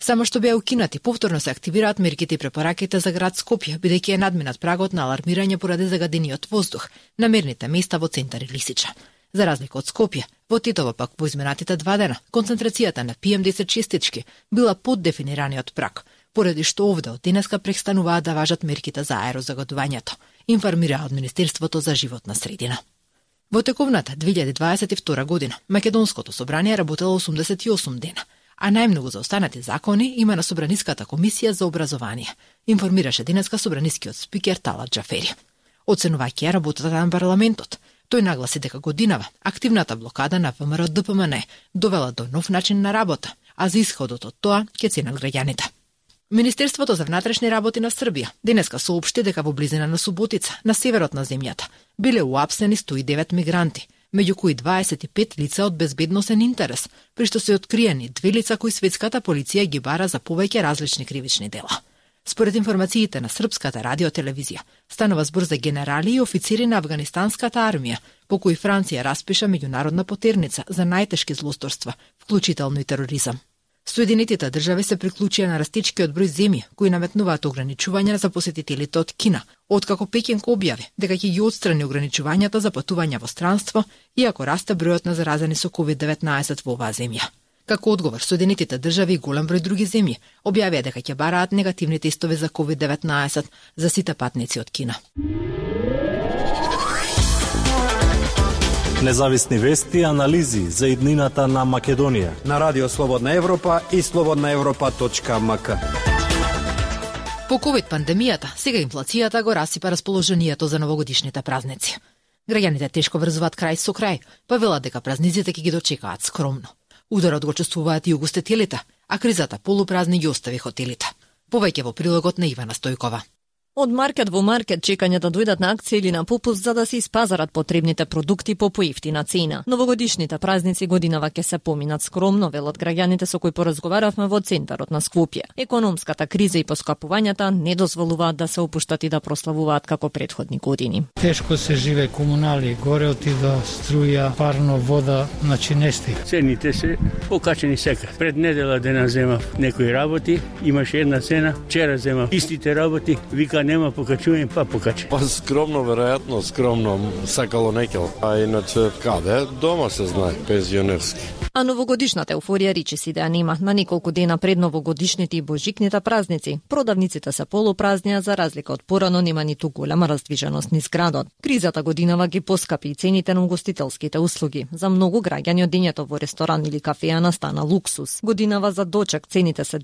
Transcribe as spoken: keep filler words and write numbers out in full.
Само што беа укинати, повторно се активираат мерките и препораките за град Скопје, бидејќи е надминат прагот на алармирање поради загадениот воздух на мерните места во центар и Лисича. За разлика од Скопје, во Тетово пак во изминатите два дена, концентрацијата на пи ем десет честички била под дефинираниот праг, поради што овде од денеска престануваат да важат мерките за аерозагадувањето, информира од Министерството за животна средина. Во тековната две илјади дваесет и втора година, Македонското собрание работело осумдесет и осум дена, а најмногу за останати закони има на Собраниската комисија за образование, информираше денеска собранискиот спикер Талат Џафери. Оценувајќи работата на парламентот, тој нагласи дека годинава активната блокада на ВМРО Д П М Н довела до нов начин на работа, а за исходот од тоа ќе ценат граѓаните. Министерството за внатрешни работи на Србија денеска соопшти дека во близина на Суботица, на северот на земјата, биле уапсени сто и девет мигранти, меѓу кои дваесет и пет лица од безбедносен интерес, при што се откриени две лица кои светската полиција ги бара за повеќе различни кривични дела. Според информациите на Српската радиотелевизија, станува збор за генерали и офицери на афганистанската армија, по кои Франција распиша меѓународна потерница за најтешки злосторства, вклучително и тероризам. Соединетите држави се приклучија на растечкиот број земји кои наметнуваат ограничувања за посетителите од Кина, откако Пекинг објави дека ќе ги отстрани ограничувањата за патување во странство, иако расте бројот на заразени со ковид деветнаесет во оваа земја. Како одговор, Соединетите држави и голем број други земји објавија дека ќе бараат негативни тестове за ковид деветнаесет за сите патници од Кина. Независни вести и анализи за иднината на Македонија на Радио Слободна Европа и слободна европа точка м к. По ковид пандемијата, сега инфлацијата го расипа расположението за новогодишните празници. Граѓаните тешко врзуваат крај со крај, па велат дека празниците ќе ги дочекаат скромно. Ударот го чувствуваат и угостителите, а кризата полупразни ги остави хотелите. Повеќе во прилогот на Ивана Стојкова. Од маркет во маркет чекање да дојдат на акција или на попуст за да се испазарат потребните продукти по поевтина цена. Новогодишните празници годинава ќе се поминат скромно, велат граѓаните со кои поразговаравме во центарот на Скопје. Економската криза и поскапувањата не дозволуваат да се опуштат и да прославуваат како претходни години. Тешко се живе, комунали, горе отида струја, парно, вода, значи не стига. Цените се покачени сега. Пред недела дена земав некои работи, имаше една цена, вчера земав истите работи, вика нема покачување, па покачи. Па скромно, веројатно, скромно, сакало некел. А иначе, каде? Дома се знае, пензионерски. А новогодишната еуфорија речиси да ја нема. На неколку дена пред новогодишните и божикните празници, продавниците се полупразни, а за разлика од порано нема ниту голема раздвиженост низ градот. Кризата годинава ги поскапи и цените на угостителските услуги. За многу граѓани одењето во ресторан или кафеа настана луксус. Годинава за дочек цените се